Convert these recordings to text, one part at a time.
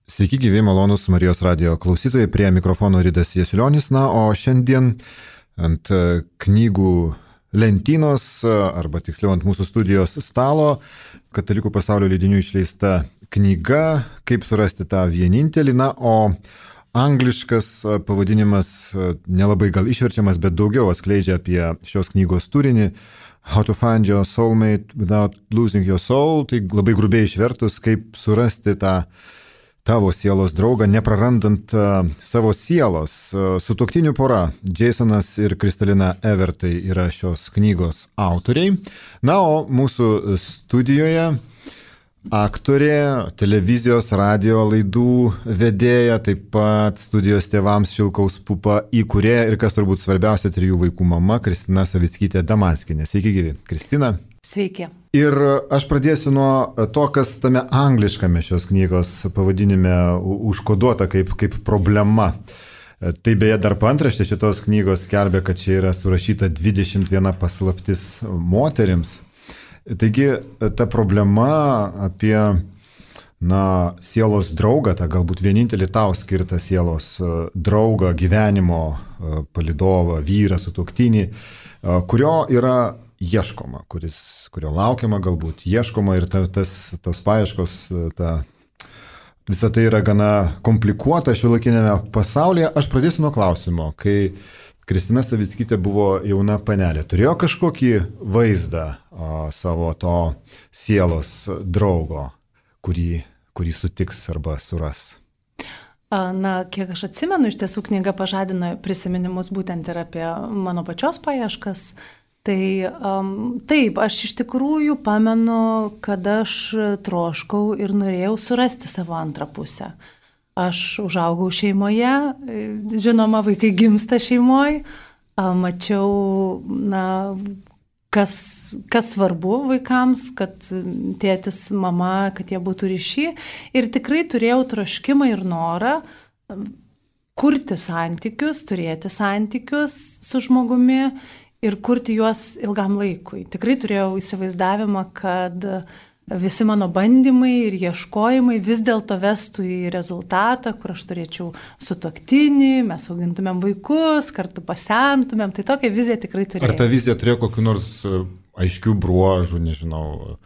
Sveiki, gyvi malonus Marijos radio klausytojai, prie mikrofono Ridas Jasiulionis, o šiandien ant knygų lentynos, arba tiksliau ant mūsų studijos stalo, Katalikų pasaulio leidinių išleista knyga Kaip surasti tą vienintelį, o angliškas pavadinimas nelabai gal išverčiamas, bet daugiau atskleidžia apie šios knygos turinį. How to find your soulmate without losing your soul, tai labai grubiai išvertus, kaip surasti tą tavo sielos draugą, neprarandant savo sielos. Sutuoktinių pora Jasonas ir Kristalina Evertai yra šios knygos autoriai. O mūsų studijoje aktorė, televizijos, radio laidų vedėja, taip pat studijos tėvams Šilkaus pupa įkūrėja ir, kas turbūt svarbiausia, 3 vaikų mama Kristina Savickytė Damaskinė. Sveiki, gyvi. Kristina. Sveiki. Ir aš pradėsiu nuo to, kas tame angliškame šios knygos pavadinime užkoduota kaip problema. Tai beje dar paantraštė šitos knygos skelbia, kad čia yra surašyta 21 paslaptis moterims. Taigi ta problema apie sielos draugą, tą galbūt vienintelį tau skirtą sielos draugą, gyvenimo palydovą, vyrą, sutuoktinį, kurio yra ieškoma, kurio laukiama galbūt, ieškoma ir tos paieškos, visa tai yra gana komplikuota šiuolaikinėme pasaulyje. Aš pradėsiu nuo klausimo, kai Kristina Savickytė buvo jauna panelė, turėjo kažkokį vaizdą savo to sielos draugo, kurį sutiks arba suras? Kiek aš atsimenu, iš tiesų knyga pažadino prisiminimus būtent ir apie mano pačios paieškas. Tai taip, aš iš tikrųjų pamenu, kad aš troškau ir norėjau surasti savo antrą pusę. Aš užaugau šeimoje, žinoma, vaikai gimsta šeimoje, mačiau, kas svarbu vaikams, kad tėtis, mama, kad jie būtų ryšy. Ir tikrai turėjau troškimą ir norą kurti santykius, turėti santykius su žmogumi ir kurti juos ilgam laikui. Tikrai turėjau įsivaizdavimą, kad visi mano bandymai ir ieškojimai vis dėlto vestų į rezultatą, kur aš turėčiau sutuoktinį, mes augintumėm vaikus, kartu pasentumėm. Tai tokią viziją tikrai turėjau. Ar ta vizija turėjo kokių nors aiškių bruožų, nežinau,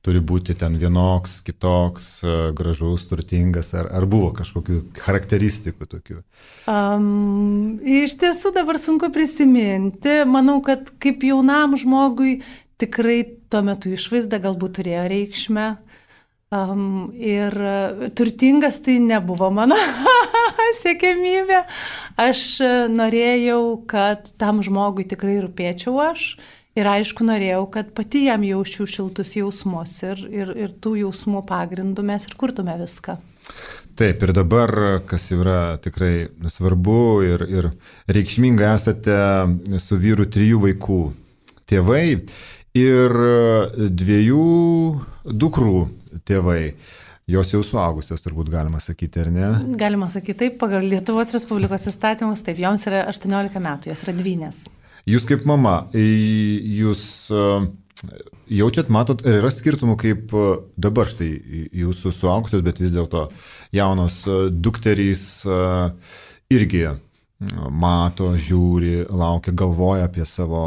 turi būti ten vienoks, kitoks, gražus, turtingas, ar buvo kažkokių charakteristikų tokių? Iš tiesų dabar sunku prisiminti. Manau, kad kaip jaunam žmogui tikrai tuo metu išvaizda galbūt turėjo reikšmę. Ir turtingas tai nebuvo mano siekiamybė. Aš norėjau, kad tam žmogui tikrai rūpėčiau aš. Ir aišku, norėjau, kad pati jam jausčiau šiltus jausmus ir tų jausmų pagrindų mes ir kurtume viską. Taip, ir dabar, kas yra tikrai svarbu ir reikšminga, esate su vyru 3 vaikų tėvai ir 2 dukrų tėvai. Jos jau suaugusios, turbūt galima sakyti, ar ne? Galima sakyti taip, pagal Lietuvos Respublikos įstatymus, taip, joms yra 18 metų, jos yra dvynės. Jūs kaip mama, jūs jaučiat, matot, ar yra skirtumų, kaip dabar štai jūsų suaugusios, bet vis dėlto jaunos dukterys irgi mato, žiūri, laukia, galvoja apie savo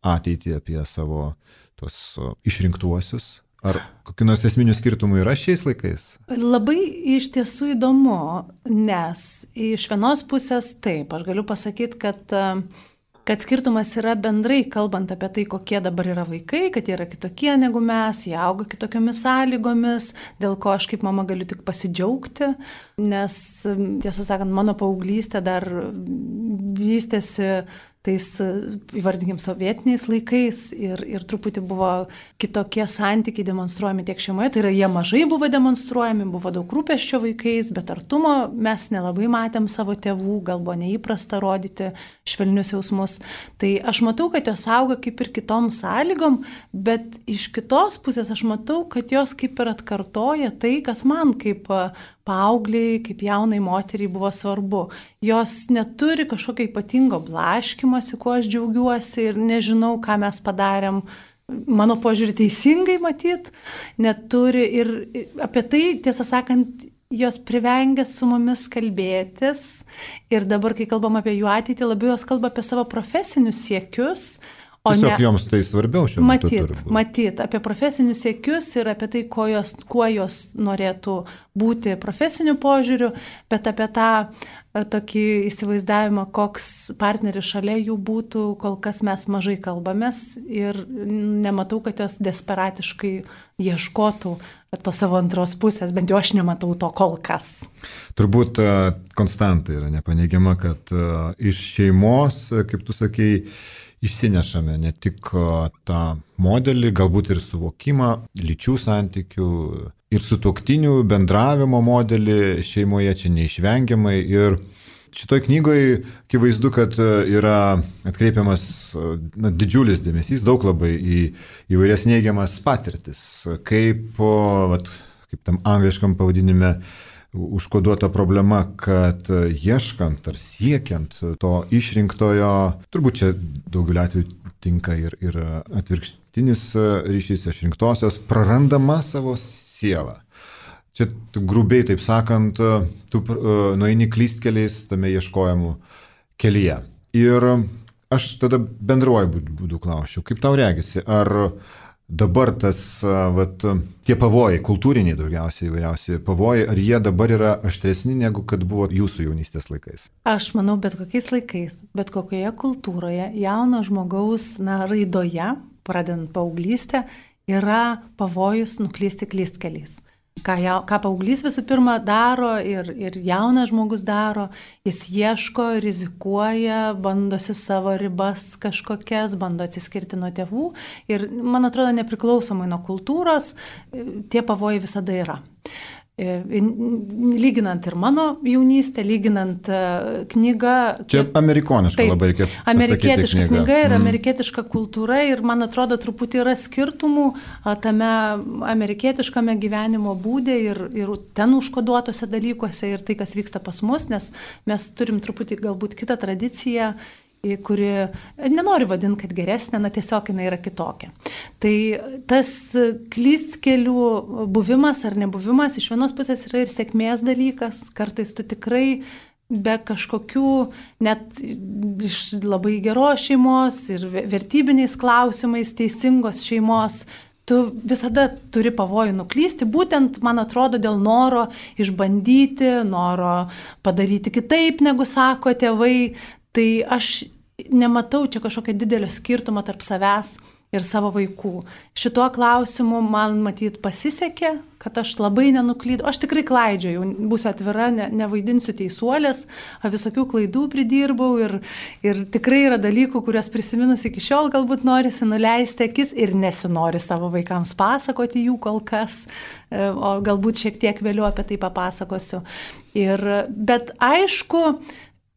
ateitį, apie savo tos išrinktuosius? Ar kokių nors esminių skirtumų yra šiais laikais? Labai iš tiesų įdomu, nes iš vienos pusės taip, aš galiu pasakyti, kad skirtumas yra bendrai, kalbant apie tai, kokie dabar yra vaikai, kad jie yra kitokie negu mes, jie auga kitokiomis sąlygomis, dėl ko aš kaip mama galiu tik pasidžiaugti, nes, tiesą sakant, mano paauglystė dar vystėsi tais, įvardinkim, sovietiniais laikais ir truputį buvo kitokie santykiai demonstruojami tiek šeimoje, tai yra jie mažai buvo demonstruojami, buvo daug rūpesčio vaikais, bet artumo mes nelabai matėm savo tėvų, gal buvo neįprasta rodyti švelnius jausmus. Tai aš matau, kad jos auga kaip ir kitom sąlygom, bet iš kitos pusės aš matau, kad jos kaip ir atkartoja tai, kas man kaip paaugliai, kaip jaunai moteriai buvo svarbu. Jos neturi kažkokio ypatingo blaškimosi, kuo aš džiaugiuosi ir nežinau, ką mes padarėm. Mano požiūrį teisingai matyt, neturi ir apie tai, tiesą sakant, jos privengia su mumis kalbėtis ir dabar, kai kalbam apie jų ateitį, labiau jos kalba apie savo profesinius siekius. Tiesiog joms tai svarbiau šiuo metu turbūt. Matyt, apie profesinius siekius ir apie tai, kuo jos norėtų būti profesiniu požiūriu, bet apie tą tokį įsivaizdavimą, koks partneris šalia jų būtų, kol kas mes mažai kalbamės ir nematau, kad jos desperatiškai ieškotų to savo antros pusės, bent jau aš nematau to kol kas. Turbūt konstanta yra nepaneigiama, kad iš šeimos, kaip tu sakei, išsinešame ne tik tą modelį, galbūt ir suvokimą lyčių santykių ir sutuoktinių bendravimo modelį šeimoje, čia neišvengiamai. Ir šitoj knygoje akivaizdu, kad yra atkreipiamas didžiulis dėmesys, daug labai į įvairias neigiamas patirtis, kaip tam angliškam pavadinime užkoduota problema, kad ieškant ar siekiant to išrinktojo, turbūt čia daugeliu atveju tinka ir atvirkštinis ryšys išrinktosios, prarandama savo sielą. Čia grubiai taip sakant, tu nueini klystkeliais tame ieškojimų kelyje. Ir aš tada bendruoju būdu klausčiau, kaip tau regisi, ar dabar tie pavojai, kultūriniai daugiausiai įvairiausi pavojai, ar jie dabar yra aštresni negu kad buvo jūsų jaunystės laikais? Aš manau, bet kokiais laikais, bet kokioje kultūroje, jauno žmogaus raidoje, pradedant paauglystę, yra pavojus nuklysti klystkeliais. Ką paauglys visų pirma daro ir jaunas žmogus daro, jis ieško, rizikuoja, bandosi savo ribas kažkokias, bando atsiskirti nuo tėvų ir, man atrodo, nepriklausomai nuo kultūros, tie pavojai visada yra. Lyginant ir mano jaunystę, lyginant knygą. Čia amerikoniška labai reikėtų pasakyti. Amerikietiška knyga ir amerikietiška kultūra ir man atrodo truputį yra skirtumų tame amerikietiškame gyvenimo būde ir ten užkoduotose dalykuose ir tai, kas vyksta pas mus, nes mes turim truputį galbūt kitą tradiciją, kuri, nenoriu vadinti, kad geresnė, tiesiog jinai yra kitokia. Tai tas klystkelių buvimas ar nebuvimas iš vienos pusės yra ir sėkmės dalykas, kartais tu tikrai be kažkokių, net iš labai geros šeimos ir vertybiniais klausimais teisingos šeimos, tu visada turi pavojų nuklysti, būtent, man atrodo, dėl noro išbandyti, noro padaryti kitaip, negu sako tėvai. Tai aš nematau čia kažkokio didelio skirtumo tarp savęs ir savo vaikų. Šituo klausimu man matyt pasisekė, kad aš labai nenuklydau. Aš tikrai klaidžiojau, būsiu atvira, nevaidinsiu teisuolės, visokių klaidų pridirbau ir tikrai yra dalykų, kuriuos prisiminus iki šiol galbūt norisi nuleisti akis ir nesinori savo vaikams pasakoti jų kol kas, o galbūt šiek tiek vėliau apie tai papasakosiu. Bet aišku,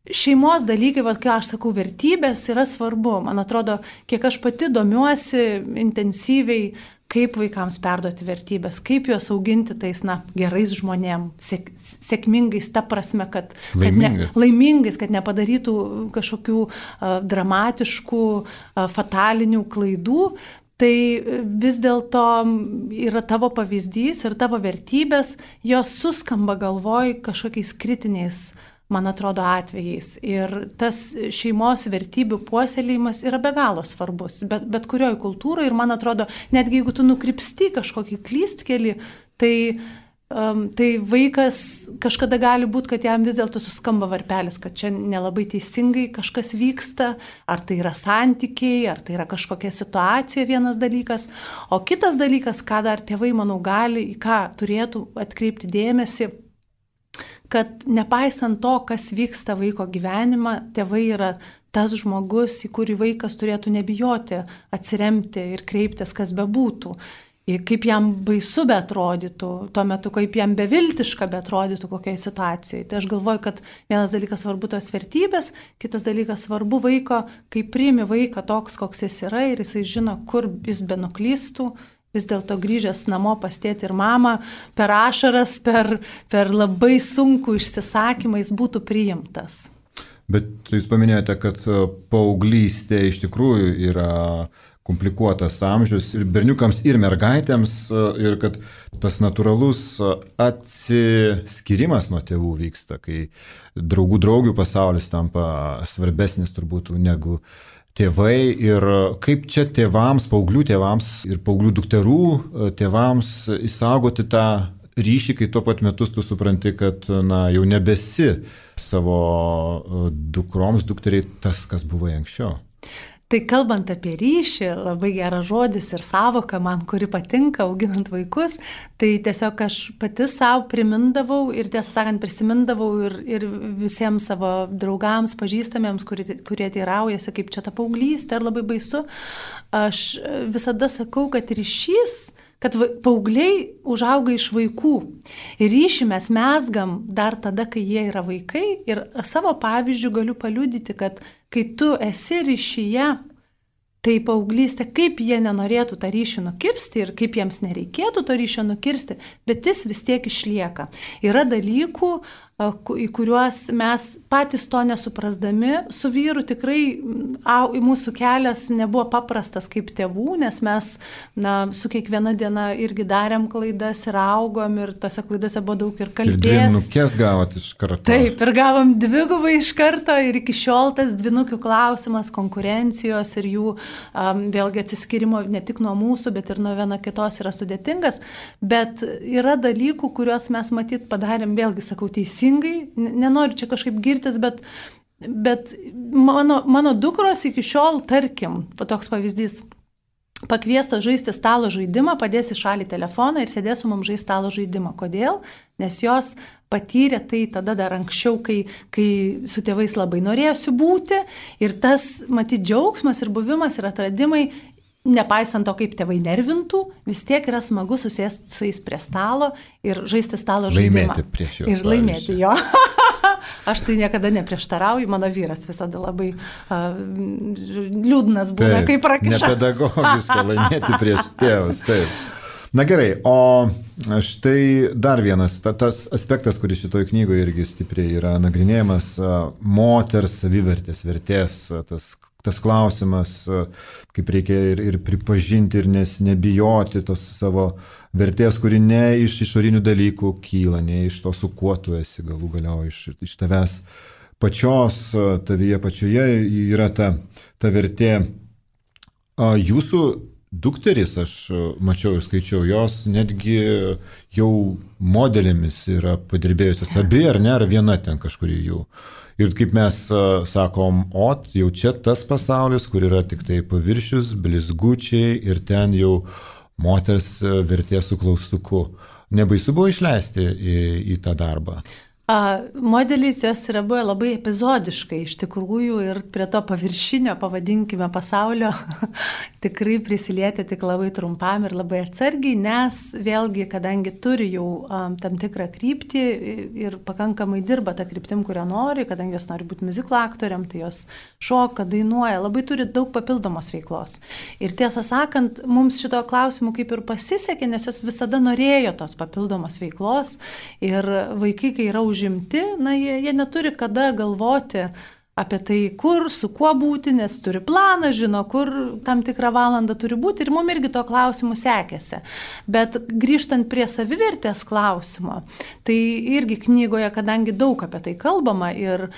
šeimos dalykai, kai aš sakau, vertybės yra svarbu. Man atrodo, kiek aš pati domiuosi intensyviai, kaip vaikams perduoti vertybės, kaip juos auginti tais, gerais žmonėm, sėkmingais, ta prasme, kad laimingais, kad nepadarytų kažkokių dramatiškų, fatalinių klaidų. Tai vis dėlto yra tavo pavyzdys ir tavo vertybės, jos suskamba galvoj kažkokiais kritiniais, man atrodo, atvejais. Ir tas šeimos vertybių puoselėjimas yra be galo svarbus, bet kurioje kultūroje. Ir man atrodo, netgi jeigu tu nukrypsti kažkokį klystkelį, tai vaikas kažkada gali būti, kad jam vis dėlto suskamba varpelis, kad čia nelabai teisingai kažkas vyksta, ar tai yra santykiai, ar tai yra kažkokia situacija, vienas dalykas. O kitas dalykas, ką dar tėvai, manau, gali, į ką turėtų atkreipti dėmesį, kad nepaisant to, kas vyksta vaiko gyvenimą, tėvai yra tas žmogus, į kurį vaikas turėtų nebijoti atsiremti ir kreiptis, kas bebūtų. Kaip jam baisu beatrodytų, tuo metu, kaip jam beviltiška beatrodytų kokioje situacijoje. Tai aš galvoju, kad vienas dalykas svarbu tos vertybės, kitas dalykas svarbu vaiko, kai priimi vaiką toks, koks jis yra ir jisai žino, kur jis benuklystų, vis dėlto grįžęs namo pas tėtį ir mamą, per ašaras, per labai sunkų išsisakymą jis būtų priimtas. Bet jūs paminėjote, kad paauglystė iš tikrųjų yra komplikuotas amžius ir berniukams, ir mergaitėms, ir kad tas natūralus atsiskirimas nuo tėvų vyksta, kai draugių pasaulis tampa svarbesnis turbūt negu tėvai ir kaip čia tėvams, paauglių tėvams ir paauglių dukterų tėvams įsaugoti tą ryšį, kai tuo pat metu tu supranti, kad jau nebesi savo dukroms, dukteriai tas, kas buvo anksčiau. Tai kalbant apie ryšį, labai geras žodis ir savoka man, kuri patinka auginant vaikus, tai tiesiog aš pati savo primindavau ir tiesą sakant prisimindavau ir visiems savo draugams, pažįstamiems, kurie teiraujasi, kaip čia ta paauglystė, ar labai baisu. Aš visada sakau, kad ryšys, kad paaugliai užauga iš vaikų. Ir ryšį mes mezgam dar tada, kai jie yra vaikai. Ir savo pavyzdžių galiu paliudyti, kad kai tu esi ryšyje, tai paauglystė, kaip jie nenorėtų tą ryšį nukirsti ir kaip jiems nereikėtų to ryšio nukirsti, bet jis vis tiek išlieka. Yra dalykų, į kuriuos mes patys to nesuprasdami su vyru tikrai mūsų kelias nebuvo paprastas kaip tėvų, nes mes su kiekviena diena irgi darėm klaidas ir augom ir tose klaidose buvo daug ir kaltės. Ir dvynukės gavot iš karto. Taip, ir gavom dvigubai iš karto ir iki šiol tas dvynukių klausimas, konkurencijos ir jų vėlgi atsiskirimo ne tik nuo mūsų, bet ir nuo viena kitos yra sudėtingas, bet yra dalykų, kuriuos mes matyt padarėm, vėlgi sakau, teisingai, nenoriu čia kažkaip girtis, bet mano dukros iki šiol, tarkim, toks pavyzdys, pakviestos žaisti stalo žaidimą, padės į šalį telefoną ir sėdės su mums žaisti stalo žaidimą. Kodėl? Nes jos patyrė tai tada dar anksčiau, kai su tėvais labai norėjosi būti ir tas, matyt, džiaugsmas ir buvimas ir atradimai, nepaisant to, kaip tėvai nervintų, vis tiek yra smagu susėsti su jais prie stalo ir žaisti stalo žaidimą. Laimėti prieš juos. Ir laimėti jo. Aš tai niekada neprieštarauju, mano vyras visada labai liūdnas būna, kaip prakiša. Nepedagogiška laimėti prieš tėvus, taip. Na gerai, o štai dar vienas, tas aspektas, kuris šitoj knygoje irgi stipriai yra nagrinėjamas, moters savivertės, vertės, tas klausimas, kaip reikia ir pripažinti ir nebijoti tos savo vertės, kuri ne iš išorinių dalykų kyla, ne iš to, su kuo tu esi galų galiau, iš tavęs pačios, tavyje pačioje yra ta vertė. Jūsų dukteris, aš mačiau ir skaičiau, jos netgi jau modelėmis yra padirbėjusios, abi ar ne, ar viena ten kažkuri jų. Ir kaip mes sakom, jau čia tas pasaulis, kur yra tik tai paviršius, blizgučiai ir ten jau moters vertės su klaustuku. Nebaisu buvo išleisti į tą darbą? Modelis jos yra buvę labai epizodiškai iš tikrųjų ir prie to paviršinio, pavadinkime, pasaulio tikrai prisilietė tik labai trumpam ir labai atsargiai, nes vėlgi, kadangi turi jau tam tikrą kryptį ir pakankamai dirba tą kryptim, kurią nori, kadangi jos nori būti muziklo aktoriam, tai jos šoka, dainuoja, labai turi daug papildomos veiklos. Ir tiesą sakant, mums šito klausimu kaip ir pasisekė, nes jos visada norėjo tos papildomos veiklos ir vaikai, kai yra užimti, jie neturi kada galvoti apie tai, kur, su kuo būti, nes turi planą, žino, kur tam tikrą valandą turi būti ir mums irgi to klausimu sekėsi. Bet grįžtant prie savivertės klausimo, tai irgi knygoje, kadangi daug apie tai kalbama ir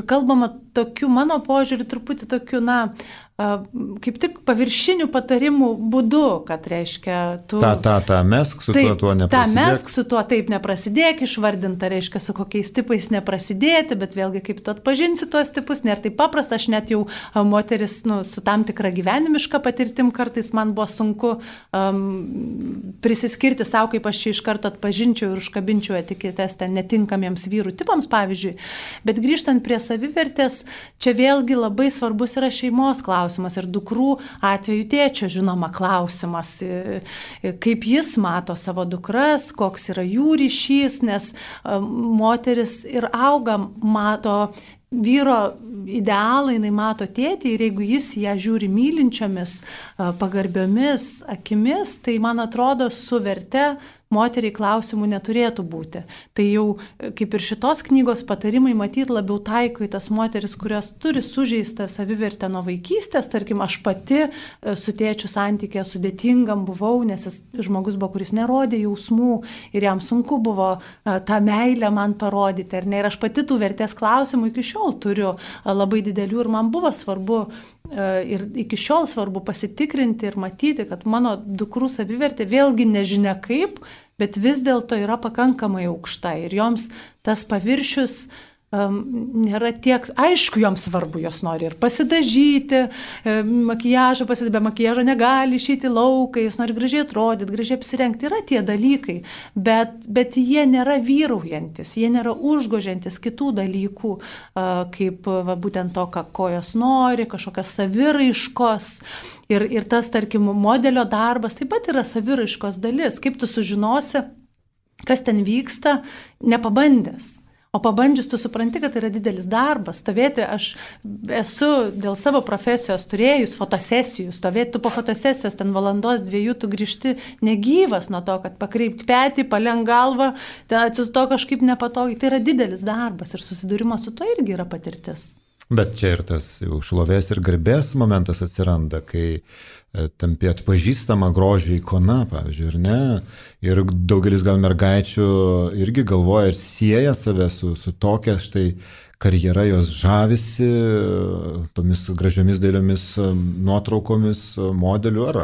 kalbama tokiu, mano požiūrį, truputį tokiu, kaip tik paviršinių patarimų būdu, kad reiškia tu... Mesk su tuo neprasidėk. Mesk su tuo taip neprasidėk, išvardinta, reiškia su kokiais tipais neprasidėti, bet vėlgi kaip tu atpažinsi tuos tipus, nėra taip paprasta, aš net jau moteris su tam tikra gyvenimiška patirtim kartais man buvo sunku prisiskirti savo, kaip aš čia iš karto atpažinčiau ir užkabinčiau etiketes ten netinkamiems vyrų tipams, pavyzdžiui. Bet grįžtant prie savivertės, čia vėlgi labai svarbus yra šeimos klausimas ir dukrų atveju tėčio, žinoma, klausimas, kaip jis mato savo dukras, koks yra jų ryšys, nes moteris ir auga, mato vyro idealą, jinai mato tėtį ir jeigu jis ją žiūri mylinčiomis, pagarbiomis akimis, tai man atrodo su verte moteriai klausimų neturėtų būti. Tai jau kaip ir šitos knygos patarimai matyti labiau taiko į tas moteris, kurios turi sužeistą savivertę nuo vaikystės. Tarkim, aš pati su tėčiu santykė sudėtingam buvau, nes jis žmogus buvo, kuris nerodė jausmų ir jam sunku buvo tą meilę man parodyti. Ir aš pati tų vertės klausimų iki šiol turiu labai didelių ir man buvo svarbu ir iki šiol svarbu pasitikrinti ir matyti, kad mano dukrų savivertė vėlgi nežinia kaip, bet vis dėlto yra pakankamai aukšta ir joms tas paviršius nėra tiek, aišku, joms svarbu, jos nori ir pasidažyti, makiažą pasidėti, be makiažo negali išeiti lauką, jos nori gražiai atrodyti, gražiai apsirengti, yra tie dalykai, bet jie nėra vyraujantis, jie nėra užgožiantis kitų dalykų, kaip būtent to, ko jos nori, kažkokios saviraiškos. Ir tas, tarkim, modelio darbas taip pat yra saviraiškos dalis. Kaip tu sužinosi, kas ten vyksta, nepabandęs. O pabandžius tu supranti, kad tai yra didelis darbas. Stovėti, aš esu dėl savo profesijos turėjus fotosesijų, stovėti tu po fotosesijos ten valandos, 2 tu grįžti negyvas nuo to, kad pakreipk petį, palenk galvą, atsisto kažkaip nepatogiai. Tai yra didelis darbas ir susidūrimas su to irgi yra patirtis. Bet čia ir tas jau šlovės ir garbės momentas atsiranda, kai tampi atpažįstama grožio ikona, pavyzdžiui, ir ne. Ir daugelis gal mergaičių irgi galvoja ir sieja save su tokia štai karjera, jos žavisi tomis gražiomis dailiomis nuotraukomis modelių ar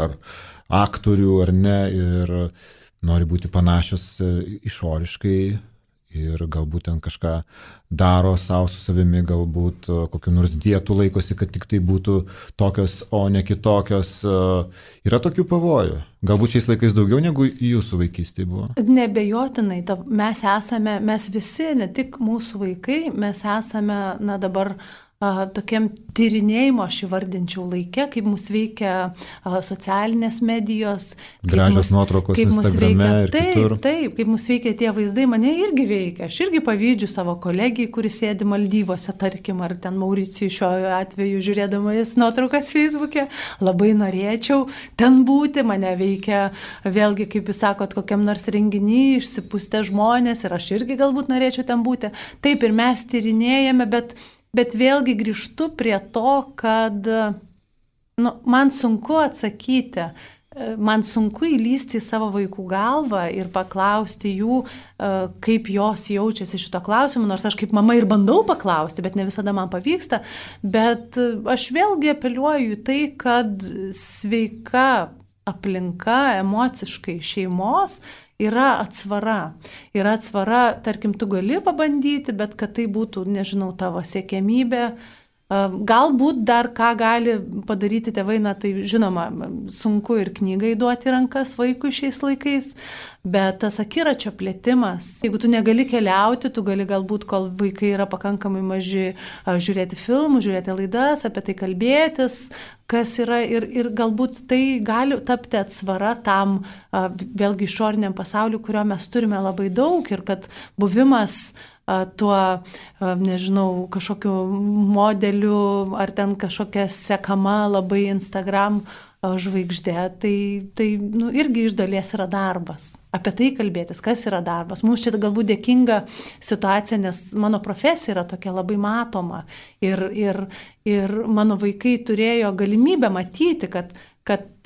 aktorių, ar ne, ir nori būti panašios išoriškai. Ir galbūt ten kažką daro savo su savimi, galbūt kokiu nors dietų laikosi, kad tik tai būtų tokios, o ne kitokios. Yra tokių pavojų. Galbūt šiais laikais daugiau negu jūsų vaikystėje buvo? Nebejotinai. Mes visi, ne tik mūsų vaikai, mes esame dabar tokiam tyrinėjimo, aš įvardinčiau laike, kaip mus veikia socialinės medijos. Gražios nuotraukos Instagrame ir kitur. Taip, kaip mus veikia tie vaizdai, mane irgi veikia. Aš irgi pavydžiu savo kolegijai, kuris sėdi Maldyvose, tarkim, ar ten Mauricijui šiuo atveju žiūrėdama jis nuotraukas Facebook'e. Labai norėčiau ten būti, mane veikia vėlgi, kaip jūs sakot, kokiam nors renginy, išsipūstę žmonės ir aš irgi galbūt norėčiau ten būti. Taip, ir mes tyrinėjame, bet vėlgi grįžtu prie to, kad man sunku atsakyti, man sunku įlysti į savo vaikų galvą ir paklausti jų, kaip jos jaučiasi šito klausimu, nors aš kaip mama ir bandau paklausti, bet ne visada man pavyksta, bet aš vėlgi apeliuoju į tai, kad sveika aplinka emociškai šeimos yra atsvara. Yra atsvara, tarkim, tu gali pabandyti, bet kad tai būtų, nežinau, tavo siekiamybė. Galbūt dar ką gali padaryti tėvai, tai žinoma, sunku ir knygai duoti rankas vaikui šiais laikais, bet tas akiračio plėtimas, jeigu tu negali keliauti, tu gali galbūt, kol vaikai yra pakankamai maži, žiūrėti filmų, žiūrėti laidas, apie tai kalbėtis, kas yra ir galbūt tai gali tapti atsvara tam vėlgi išoriniam pasauliu, kurio mes turime labai daug ir kad buvimas tuo, nežinau, kažkokiu modeliu ar ten kažkokia sekama labai Instagram žvaigždė, tai irgi iš dalies yra darbas. Apie tai kalbėtis, kas yra darbas. Mums čia galbūt dėkinga situacija, nes mano profesija yra tokia labai matoma ir mano vaikai turėjo galimybę matyti, kad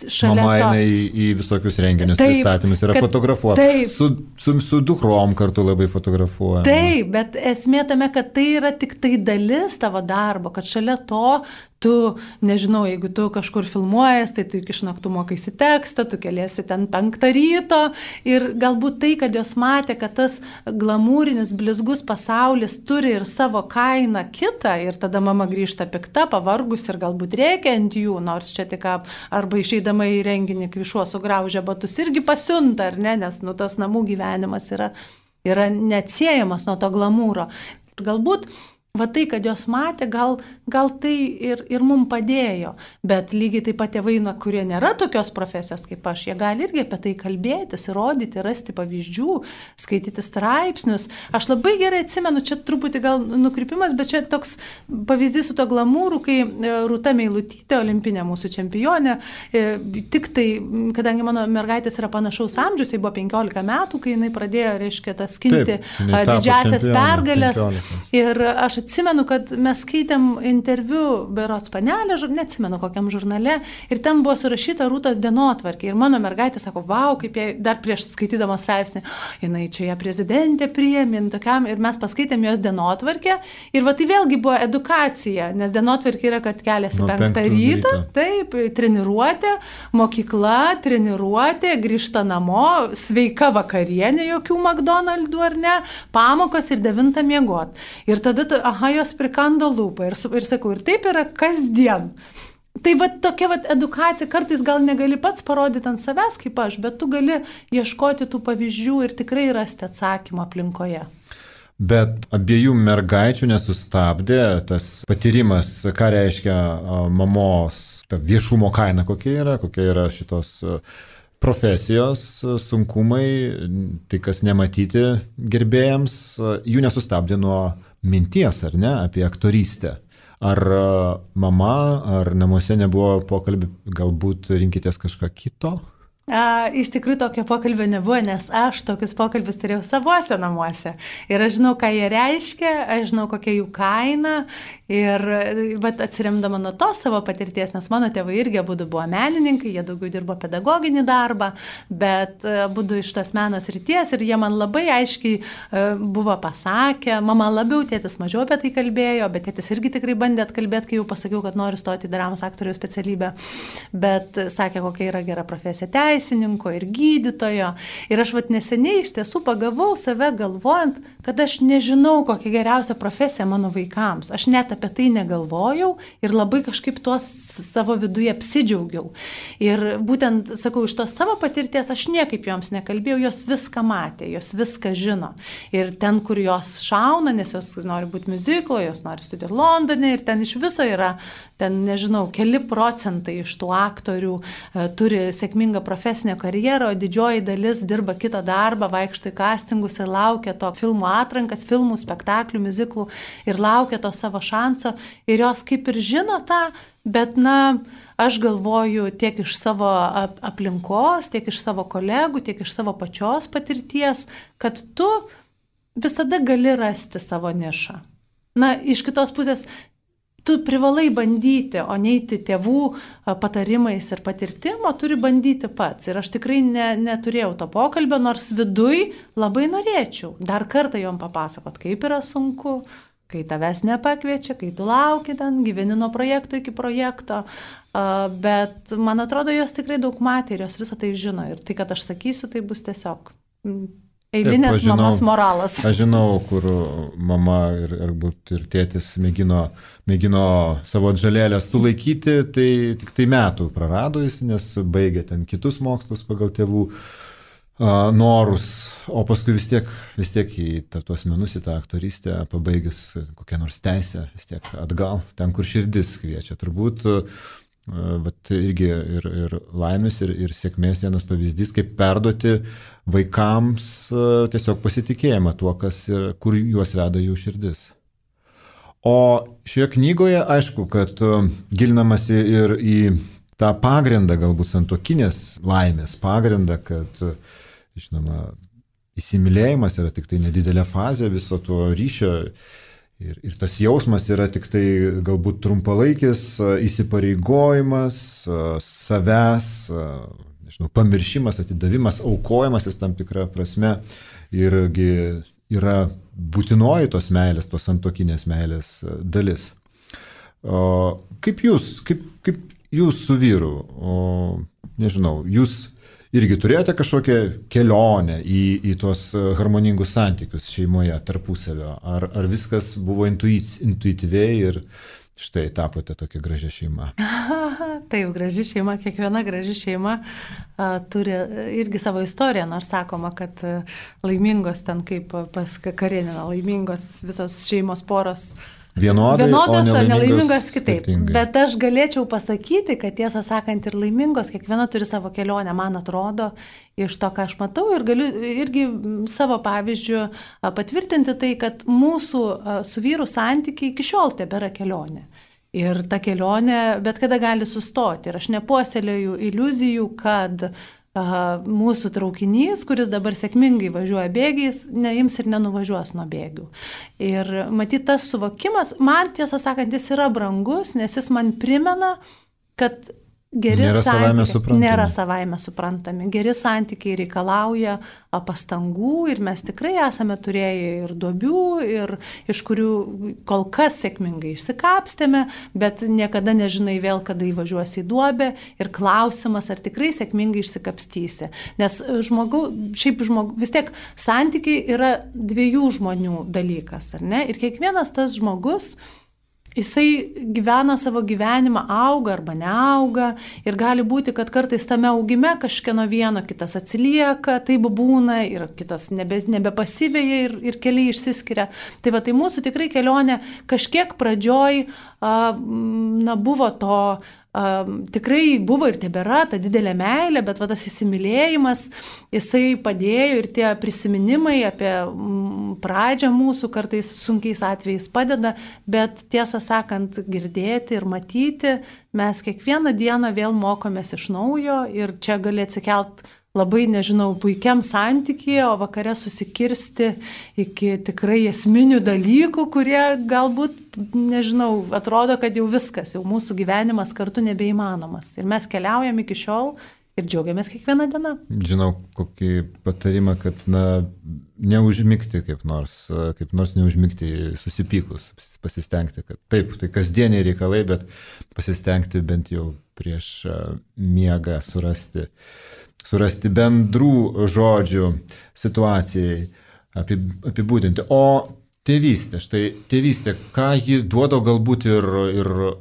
šalia mama eina į visokius renginius, pristatymus, yra fotografuota. Su dukrom kartu labai fotografuoja. Taip, bet esmė tame, kad tai yra tik tai dalis tavo darbo, kad šalia to tu, nežinau, jeigu tu kažkur filmuojas, tai tu iki šnaktų mokaisi tekstą, tu keliesi ten 5 ryto ir galbūt tai, kad jos matė, kad tas glamūrinis, blizgus pasaulis turi ir savo kainą kitą ir tada mama grįžta pikta, pavargus ir galbūt rėkia ant jų, nors čia tik arba išeidama į renginį, kai šuo sugraužia batus, irgi pasiunta, ar ne, nes tas namų gyvenimas yra neatsiejamas nuo to glamūro. Ir galbūt va tai, kad jos matė, gal tai ir mums padėjo. Bet lygiai taip pat tėvai, kurie nėra tokios profesijos kaip aš, jie gali irgi apie tai kalbėtis, įrodyti, rasti pavyzdžių, skaityti straipsnius. Aš labai gerai atsimenu, čia truputį gal nukrypimas, bet čia toks pavyzdys su to glamūru, kai Rūta Meilutytė, olimpinė mūsų čempionė, tik tai, kadangi mano mergaitės yra panašaus amžiaus, jai buvo 15 metų, kai jinai pradėjo, reiškia, tas skinti didžiasias pergalės. Ir aš atsimenu, kad mes skaitėm interviu berods Panelė, neatsimenu kokiam žurnale, ir ten buvo surašyta Rūtos dienotvarkė. Ir mano mergaitė sako, vau, kaip jie dar prieš skaitydama straipsnį, jinai čia ją prezidentė priėmė, tokiam, ir mes paskaitėm jos dienotvarkę. Ir va tai vėlgi buvo edukacija, nes dienotvarkė yra, kad keliasi 5 ryto, taip, treniruotė, mokykla, treniruotė, grįžta namo, sveika vakarienė, jokių McDonald'ų ar ne, pamokos ir 9 miegot. Ir tada, jos prikando lūpą ir sakau, ir taip yra kasdien. Tai va tokia va edukacija, kartais gal negali pats parodyti ant savęs kaip aš, bet tu gali ieškoti tų pavyzdžių ir tikrai rasti atsakymą aplinkoje. Bet abiejų mergaičių nesustabdė tas patyrimas, ką reiškia mamos viešumo kaina, kokia yra šitos profesijos sunkumai, tai kas nematyti gerbėjams, jų nesustabdė nuo minties, ar ne, apie aktorystę. Ar mama, ar namuose nebuvo pokalbį, galbūt rinkitės kažką kito? Iš tikrųjų tokio pokalbio nebuvo, nes aš tokius pokalbius turėjau savuose namuose. Ir aš žinau, ką jie reiškia, aš žinau, kokia jų kaina. Ir atsiremdama nuo to savo patirties, nes mano tėvai irgi abudu buvo menininkai, jie daugiau dirbo pedagoginį darbą, bet abudu iš tos meno srities ir jie man labai aiškiai buvo pasakę, mama labiau, tėtis mažiau apie tai kalbėjo, bet tėtis irgi tikrai bandė atkalbėti, kai jau pasakiau, kad noriu stoti į dramos aktoriaus specialybę, bet sakė, kokia yra gera profesija teisininko ir gydytojo. Ir aš neseniai iš tiesų pagavau save galvojant, kad aš nežinau, kokia geriausia profesija mano vaikams. Aš net apie tai negalvojau ir labai kažkaip tuos savo viduje apsidžiaugiau. Ir būtent, sakau, iš tos savo patirties aš niekaip joms nekalbėjau, jos viską matė, jos viską žino. Ir ten, kur jos šauna, nes jos nori būti miuziklo, jos nori studijuoti Londone ir ten iš viso yra, ten nežinau, keli procentai iš tų aktorių turi sėkmingą profesinę karjerą, o didžioji dalis dirba kitą darbą, vaikšto į castingus ir laukia to filmų atrankas, filmų, spektaklių, miuziklų ir laukia to savo šanso. Ir jos kaip ir žino tą, bet aš galvoju tiek iš savo aplinkos, tiek iš savo kolegų, tiek iš savo pačios patirties, kad tu visada gali rasti savo nišą. Iš kitos pusės, tu privalai bandyti, o neiti tėvų patarimais ir patirtim, o turi bandyti pats. Ir aš tikrai neturėjau to pokalbio, nors viduj labai norėčiau dar kartą jom papasakot, kaip yra sunku, kai tavęs nepakviečia, kai tu lauki ten, gyveni nuo projekto iki projekto. Bet man atrodo, jos tikrai daug matė ir jos visą tai žino. Ir tai, kad aš sakysiu, tai bus tiesiog eilinės mamos moralas. Aš žinau, kur mama ir tėtis mėgino savo atžalėlę sulaikyti, tai tik tai metų prarado jis, nes baigė ten kitus mokslus pagal tėvų norus, o paskui vis tiek į tuos menus, į tą aktorystę, pabaigus kokią nors teisę, vis tiek atgal, ten, kur širdis kviečia. Turbūt irgi ir laimės, ir sėkmės vienas pavyzdys, kaip perduoti vaikams tiesiog pasitikėjimą tuo, kur juos veda jų širdis. O šioje knygoje, aišku, kad gilinamasi ir į tą pagrindą, galbūt santuokinės laimės pagrindą, kad žinoma, įsimylėjimas yra tik tai nedidelė fazė viso to ryšio ir tas jausmas yra tik tai galbūt trumpalaikis įsipareigojimas, savęs, pamiršimas, atidavimas, aukojimasis tam tikrą prasme irgi yra būtinoji tos meilės, tos santuokinės meilės dalis. Kaip jūs su vyru, nežinau, jūs irgi turėjote kažkokią kelionę į tuos harmoningus santykius šeimoje tarpusavio? Ar viskas buvo intuityviai ir štai tapote tokia gražia šeima? Taip, graži šeima, kiekviena graži šeima turi irgi savo istoriją, nors sakoma, kad laimingos ten kaip pas Karenina, laimingos visos šeimos poros vienodos, o nelaimingos kitaip. skirtingai. Bet aš galėčiau pasakyti, kad tiesą sakant ir laimingos, kiekviena turi savo kelionę, man atrodo, iš to, ką aš matau ir galiu irgi savo pavyzdžių patvirtinti tai, kad mūsų su vyru santykiai iki šiol tebėra kelionė. Ir ta kelionė bet kada gali sustoti. Ir aš nepuoselėjau iliuzijų, kad mūsų traukinys, kuris dabar sėkmingai važiuoja bėgiais, neims ir nenuvažiuos nuo bėgių. Ir matyt, tas suvokimas, man tiesą sakant, jis yra brangus, nes jis man primena, kad geri santykiai nėra savaime suprantami. Geri santykiai reikalauja pastangų ir mes tikrai esame turėję ir duobių, ir iš kurių kol kas sėkmingai išsikapstėme, bet niekada nežinai vėl, kada įvažiuosi į duobę ir klausimas, ar tikrai sėkmingai išsikapstysi. Nes vis tiek santykiai yra dviejų žmonių dalykas, ar ne? Ir kiekvienas tas žmogus, jisai gyvena savo gyvenimą, auga arba neauga ir gali būti, kad kartais tame augime kažkieno vieno kitas atsilieka, taip būna ir kitas nebepasivėja ir keliai išsiskiria. Tai mūsų tikrai kelionė kažkiek pradžioj buvo to, tikrai buvo ir tebėra ta didelė meilė, bet tas įsimylėjimas, jisai padėjo ir tie prisiminimai apie pradžią mūsų kartais sunkiais atvejais padeda, bet tiesą sakant, girdėti ir matyti, mes kiekvieną dieną vėl mokomės iš naujo ir čia gali atsikelt labai, puikiam santykyje, o vakare susikirsti iki tikrai esminių dalykų, kurie galbūt, atrodo, kad jau viskas, jau mūsų gyvenimas kartu nebeįmanomas. Ir mes keliaujam iki šiol ir džiaugiamės kiekvieną dieną. Žinau kokį patarimą, kad neužmigti kaip nors neužmigti susipykus, pasistengti, kad taip, tai kasdieniai reikalai, bet pasistengti bent jau prieš miegą surasti bendrų žodžių situacijai apibūdinti. O tėvystė, ką ji duoda galbūt ir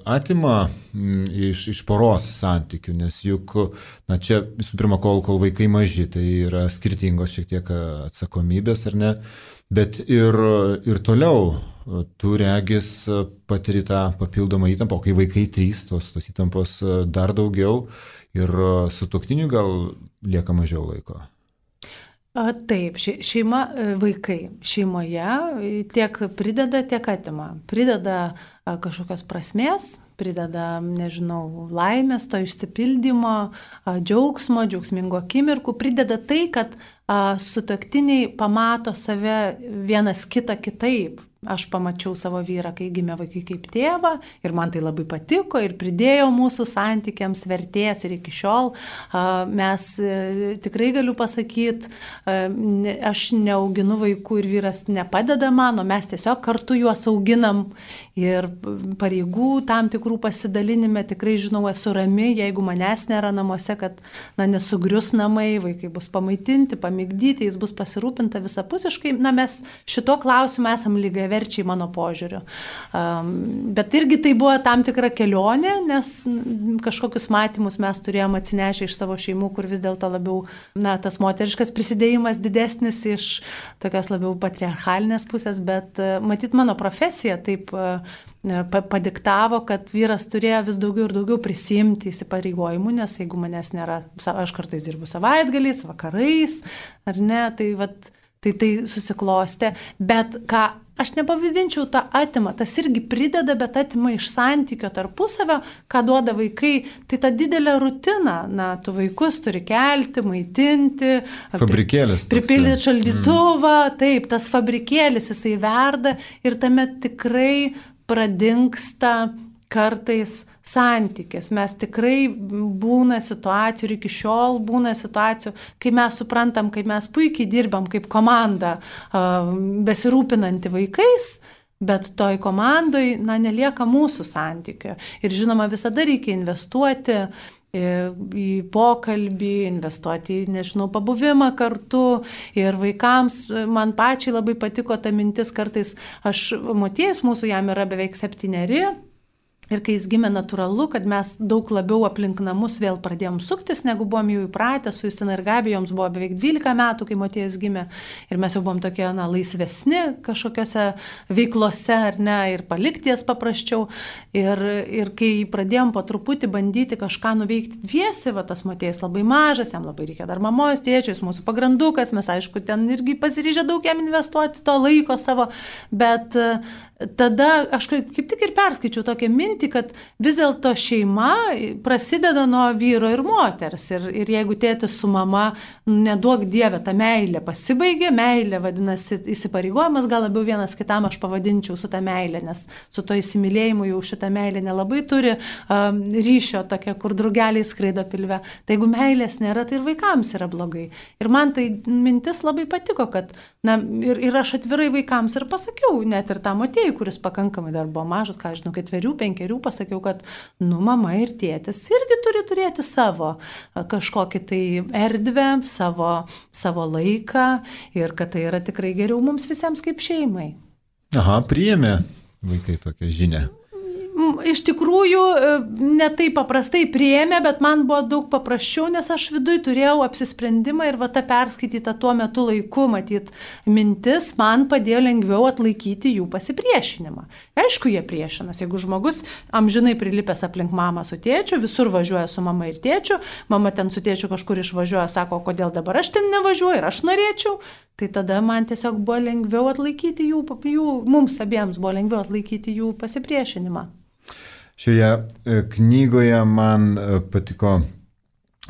atima iš poros santykių, nes juk, čia visų pirma, kol vaikai maži, tai yra skirtingos šiek tiek atsakomybės, ar ne, bet ir toliau tu regis patiri tą papildomą įtampą, o kai vaikai 3, tos įtampos dar daugiau ir sutuoktiniui gal lieka mažiau laiko. Taip, vaikai šeimoje tiek prideda, tiek atima. Prideda kažkokios prasmės, prideda, laimės, to išsipildymo, džiaugsmo, džiaugsmingo akimirkų, prideda tai, kad sutuoktiniai pamato save vienas kitą kitaip. Aš pamačiau savo vyrą, kai gimė vaikai kaip tėvą ir man tai labai patiko ir pridėjo mūsų santykiams vertės ir iki šiol mes tikrai galiu pasakyti, aš neauginu vaikų ir vyras nepadeda man, o mes tiesiog kartu juos auginam ir pareigų tam tikrų pasidalinime tikrai esu rami, jeigu manęs nėra namuose, kad nesugrius namai, vaikai bus pamaitinti, pamigdyti, jis bus pasirūpinta visapusiškai, mes šito klausimu esam lygiai verčiai mano požiūriu. Bet irgi tai buvo tam tikra kelionė, nes kažkokius matymus mes turėjom atsinešę iš savo šeimų, kur vis dėlto labiau, tas moteriškas prisidėjimas didesnis iš tokios labiau patriarchalinės pusės, bet matyt mano profesija taip padiktavo, kad vyras turėjo vis daugiau ir daugiau prisimti įsipareigojimų, nes jeigu manęs nėra, aš kartais dirbu savaitgaliais, vakarais, ar ne, tai susiklostė, bet ką aš nepavadinčiau tą atima, tas irgi prideda, bet atima iš santykio tarpusavio, ką duoda vaikai, tai ta didelė rutina, tu vaikus turi kelti, maitinti, pripildyti šaldytuvą, taip, tas fabrikėlis jisai verda ir tame tikrai pradingsta kartais santykis. Mes tikrai būna situacijų ir iki šiol būna situacijų, kai mes suprantam, kaip mes puikiai dirbam kaip komanda besirūpinanti vaikais, bet toj komandoj nelieka mūsų santykio. Ir žinoma, visada reikia investuoti į pokalbį, investuoti į, pabuvimą kartu ir vaikams. Man pačiai labai patiko ta mintis, kartais Motiejus mūsų jam yra beveik 7, Ir kai jis gimė, natūralu, kad mes daug labiau aplink namus vėl pradėjom suktis, negu buvom jau įpratę. Su Justina ir Gabija joms buvo beveik 12 metų, kai Motiejus gimė. Ir mes jau buvom tokie laisvesni kažkokiose veiklose, ar ne, ir palikti jas paprasčiau. Ir kai pradėjom po truputį bandyti kažką nuveikti dviesi, va tas Motiejus labai mažas, jam labai reikia dar mamos, tėčio, jis mūsų pagrandukas, mes aišku ten irgi pasiryžę daug jam investuoti to laiko savo, bet tada aš kaip tik ir perskaičiau tokią mintį, kad vis dėlto šeima prasideda nuo vyro ir moters. Ir jeigu tėtis su mama, neduok Dieve, ta meilė pasibaigė, meilė vadinasi įsipareigojimas, gal labiau vienas kitam aš pavadinčiau su ta meilė, nes su to įsimylėjimu jau šitą meilę nelabai turi ryšio tokia, kur drugeliai skraido pilve. Tai jeigu meilės nėra, tai ir vaikams yra blogai. Ir man tai mintis labai patiko, kad ir aš atvirai vaikams ir pasakiau, net ir tą Motiejų, kuris pakankamai dar buvo mažas, ką žinau, 4-5 pasakiau, kad mama ir tėtis irgi turi turėti savo kažkokį tai erdvę, savo laiką ir kad tai yra tikrai geriau mums visiems kaip šeimai. Aha, priėmė vaikai tokią žinią. Iš tikrųjų, ne taip paprastai priėmė, bet man buvo daug paprasčiau, nes aš viduj turėjau apsisprendimą ir va ta perskaityta tuo metu laiku, matyt, mintis man padėjo lengviau atlaikyti jų pasipriešinimą. Aišku, jie priešinas. Jeigu žmogus amžinai prilipęs aplink mamą su tėčiu, visur važiuoja su mama ir tėčiu, mama ten su tėčiu kažkur išvažiuoja, sako, kodėl dabar aš ten nevažiuoju ir aš norėčiau, tai tada man tiesiog buvo lengviau atlaikyti mums abiems buvo lengviau atlaikyti jų pasipriešinimą. Šioje knygoje man patiko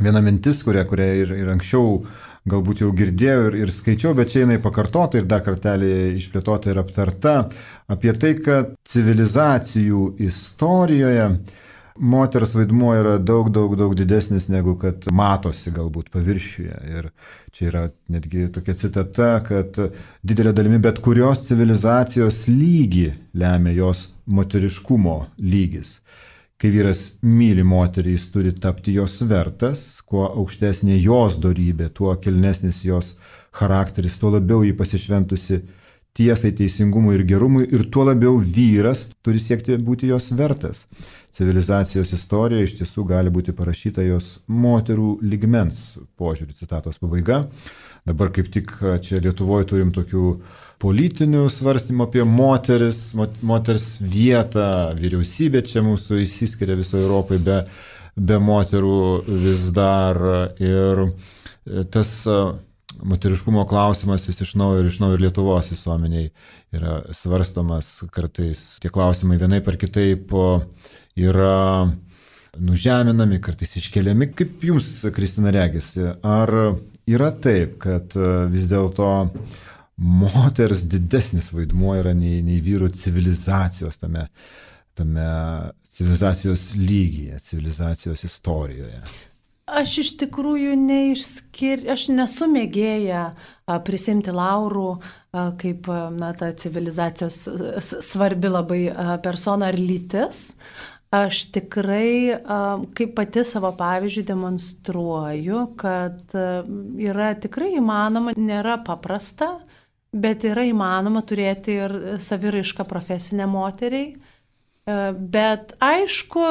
viena mintis, kurią ir anksčiau galbūt jau girdėjau ir skaičiau, bet čia jinai pakartota ir dar kartelį išplėtota ir aptarta apie tai, kad civilizacijų istorijoje moters vaidmuo yra daug didesnis negu kad matosi galbūt paviršiuje. Ir čia yra netgi tokia citata, kad didelė dalimi bet kurios civilizacijos lygį lemia jos moteriškumo lygis. Kai vyras myli moterį, jis turi tapti jos vertas, kuo aukštesnė jos dorybė, tuo kilnesnis jos charakteris, tuo labiau jį pasišventusi tiesai, teisingumui ir gerumui ir tuo labiau vyras turi siekti būti jos vertas. Civilizacijos istorija iš tiesų gali būti parašyta jos moterų lygmens požiūrį, citatos pabaiga. Dabar kaip tik čia Lietuvoje turim tokių politinių svarstymų apie moters vietą, vyriausybė čia mūsų išsiskiria visoje Europoje be moterų vis dar ir tas moteriškumo klausimas vis iš naujo ir Lietuvos visuomeniai yra svarstomas kartais. Tie klausimai vienaip ar kitaip yra nužeminami, kartais iškeliami. Kaip jums, Kristina, regisi, ar yra taip, kad vis dėlto moters didesnis vaidmuo yra nei vyrų civilizacijos tame civilizacijos lygyje, civilizacijos istorijoje? Aš iš tikrųjų aš nesu mėgėja prisimti laurų kaip ta civilizacijos svarbi labai persona ar lytis. Aš tikrai kaip pati savo pavyzdžių demonstruoju, kad yra tikrai įmanoma, nėra paprasta, bet yra įmanoma turėti ir saviraišką profesinę moteriai. Bet aišku,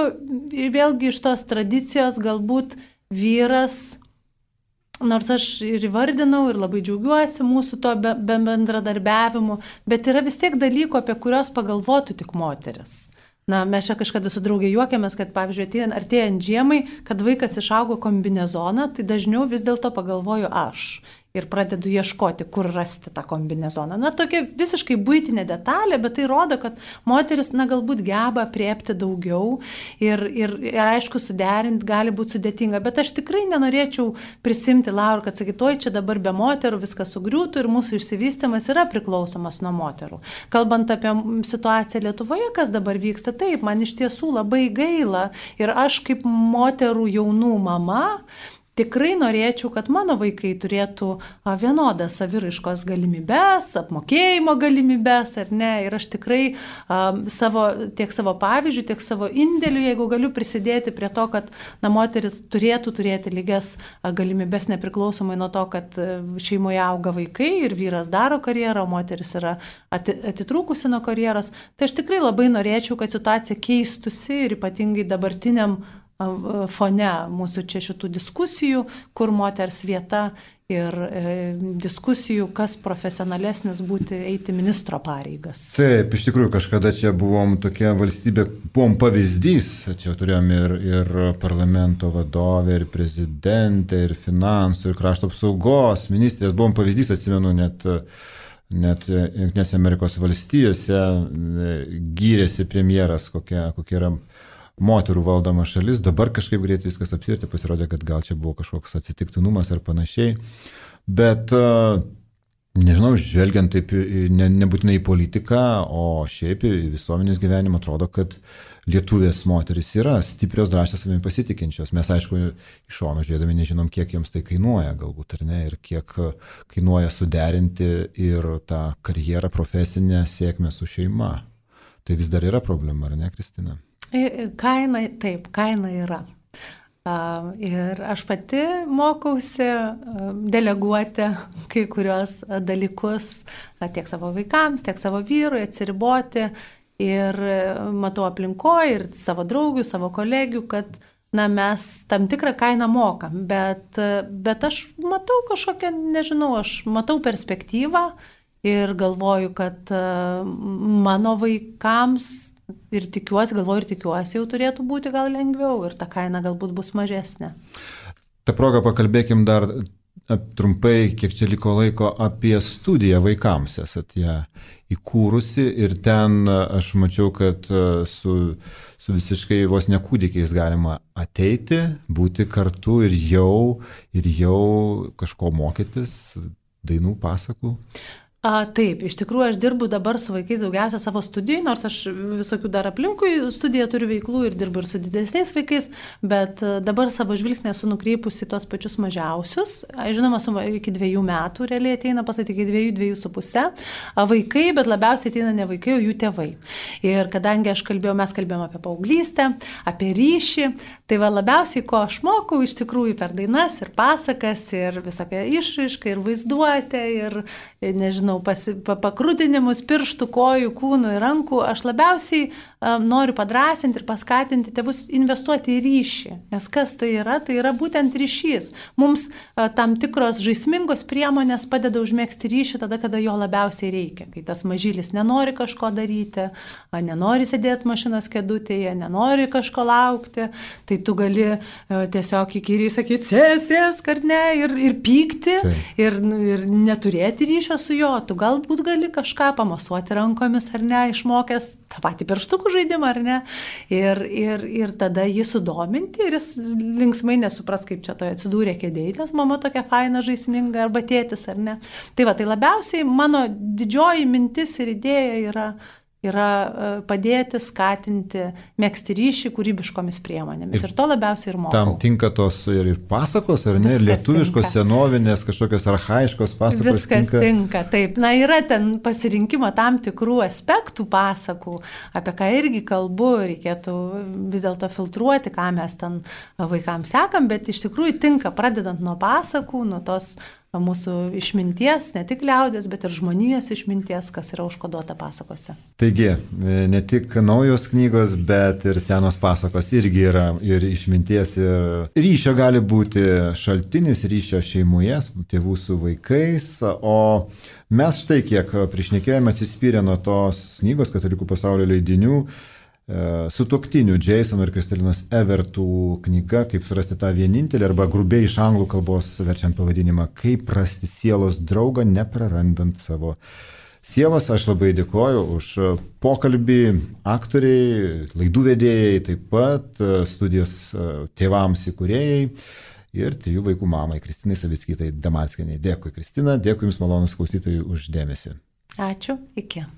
vėlgi iš tos tradicijos galbūt vyras, nors aš ir įvardinau ir labai džiaugiuosi mūsų to bendradarbiavimu, bet yra vis tiek dalykų, apie kurios pagalvotų tik moteris. Mes čia kažkada su draugė juokėmės, kad pavyzdžiui, artėjant žiemai, kad vaikas išaugo kombinezoną, tai dažniau vis dėlto pagalvoju aš. Ir pradedu ieškoti, kur rasti tą kombinezoną. Tokia visiškai buitinė detalė, bet tai rodo, kad moteris, galbūt geba apriepti daugiau ir aišku, suderinti gali būti sudėtinga, bet aš tikrai nenorėčiau prisimti laurų, kad sakytoj, čia dabar be moterų viskas sugriūtų ir mūsų išsivystymas yra priklausomas nuo moterų. Kalbant apie situaciją Lietuvoje, kas dabar vyksta, taip, man iš tiesų labai gaila ir aš kaip moterų jaunų mama, tikrai norėčiau, kad mano vaikai turėtų vienodas saviraiškos galimybės, apmokėjimo galimybės, ar ne. Ir aš tikrai tiek savo pavyzdžių, tiek savo indėlių, jeigu galiu prisidėti prie to, kad moteris turėtų turėti lygias galimybės nepriklausomai nuo to, kad šeimoje auga vaikai ir vyras daro karjerą, o moteris yra atitrūkusi nuo karjeros. Tai aš tikrai labai norėčiau, kad situacija keistusi ir ypatingai dabartiniam fone mūsų čia šitų diskusijų, kur moters vieta ir diskusijų, kas profesionalesnis eiti ministro pareigas. Taip, iš tikrųjų, kažkada čia buvom tokia valstybė, buvom pavyzdys, čia turėjom ir parlamento vadovę, ir prezidentę, ir finansų, ir krašto apsaugos ministrės, buvom pavyzdys, atsimenu, net Jungtinėse Amerikos valstijose gyrėsi premjeras, kokia yra moterų valdoma šalis, dabar kažkaip greit viskas apsirti, pasirodė, kad gal čia buvo kažkoks atsitiktinumas ar panašiai, bet nežinau, žvelgiant taip nebūtinai į politiką, o šiaip į visuomenės gyvenimą atrodo, kad lietuvės moteris yra stiprios, drąsios, savimi pasitikinčios. Mes, aišku, iš šono žiūrėdami nežinom, kiek joms tai kainuoja galbūt, ar ne, ir kiek kainuoja suderinti ir tą karjerą, profesinę sėkmę su šeima. Tai vis dar yra problema, ar ne, Kristina? Kaina yra. Ir aš pati mokausi deleguoti kai kurios dalykus tiek savo vaikams, tiek savo vyrui, atsiriboti. Ir matau aplinkoje ir savo draugių, savo kolegių, kad mes tam tikrą kainą mokam. Bet aš matau kažkokią, nežinau, aš matau perspektyvą ir galvoju, kad mano vaikams ir tikiuosi jau turėtų būti gal lengviau ir ta kaina galbūt bus mažesnė. Ta proga pakalbėkim dar trumpai, kiek čia liko laiko, apie studiją vaikams. Esat ją įkūrusi ir ten aš mačiau, kad su visiškai vos nekūdikiais galima ateiti, būti kartu ir jau kažko mokytis, dainų, pasakų. Taip, iš tikrųjų aš dirbu dabar su vaikais daugiausia savo studijai, nors aš visokių dar aplinkui studiją turiu veiklų ir dirbu ir su didesniais vaikais, bet dabar savo žvilgsnį esu nukreipusi tuos pačius mažiausius. Žinoma, iki 2 metų realiai ateina pasakyti, iki 2,5 vaikai, bet labiausiai ateina ne vaikai, o jų tėvai. Ir kadangi mes kalbėjom apie paauglystę, apie ryšį, tai labiausiai, ko aš mokau iš tikrųjų per dainas ir pasakas ir visokią išraišką ir vaizduotę ir, nežinau, pakrutinimus pirštų, kojų, kūnų ir rankų, aš labiausiai noriu padrasinti ir paskatinti tėvus investuoti į ryšį. Nes kas tai yra būtent ryšys. Mums tam tikros žaismingos priemonės padeda užmėgsti ryšį tada, kada jo labiausiai reikia. Kai tas mažylis nenori kažko daryti, nenori sėdėti mašinos kėdutėje, nenori kažko laukti, tai tu gali tiesiog įkyriai sakyti, sėsk ar ne, ir pykti, ir neturėti ryšio su juo. Tu galbūt gali kažką pamasuoti rankomis ar ne, išmokęs tą patį pirštukų žaidimą ar ne, ir tada jį sudominti ir jis linksmai nesupras, kaip čia toje atsidūrė kėdėje, nes mama tokia faina, žaisminga arba tėtis ar ne. Tai labiausiai mano didžioji mintis ir idėja yra padėti, skatinti, megzti ryšį kūrybiškomis priemonėmis. Ir to labiausiai ir mokau. Tam tinka tos ir pasakos, ar ne? Ir lietuviškos, senovinės, kažkokios archaiškos pasakos. Viskas tinka. Taip. Yra ten pasirinkimo tam tikrų aspektų pasakų, apie ką irgi kalbu, reikėtų vis dėlto filtruoti, ką mes ten vaikams sekam, bet iš tikrųjų tinka, pradedant nuo pasakų, nuo tos mūsų išminties, ne tik liaudės, bet ir žmonijos išminties, kas yra užkoduota pasakose. Taigi, ne tik naujos knygos, bet ir senos pasakos irgi yra ir išminties, ir ryšio gali būti šaltinis, ryšio šeimoje, tėvų su vaikais, o mes štai kiek prišnekėjome atsispyrę nuo tos knygos Katalikų pasaulio leidinių, sutuoktinių Jasono ir Kristalinos Evertų knyga, kaip surasti tą vienintelį, arba grubiai iš anglų kalbos verčiant pavadinimą, kaip rasti sielos draugą, neprarandant savo sielos. Aš labai dėkoju už pokalbį aktoriai, laidų vedėjai, taip pat studijos tėvams įkūrėjai ir 3 vaikų mamai Kristinai Savickytei Damanskienei. Dėkui, Kristina, dėkui Jums malonūs klausytojai už dėmesį. Ačiū, iki.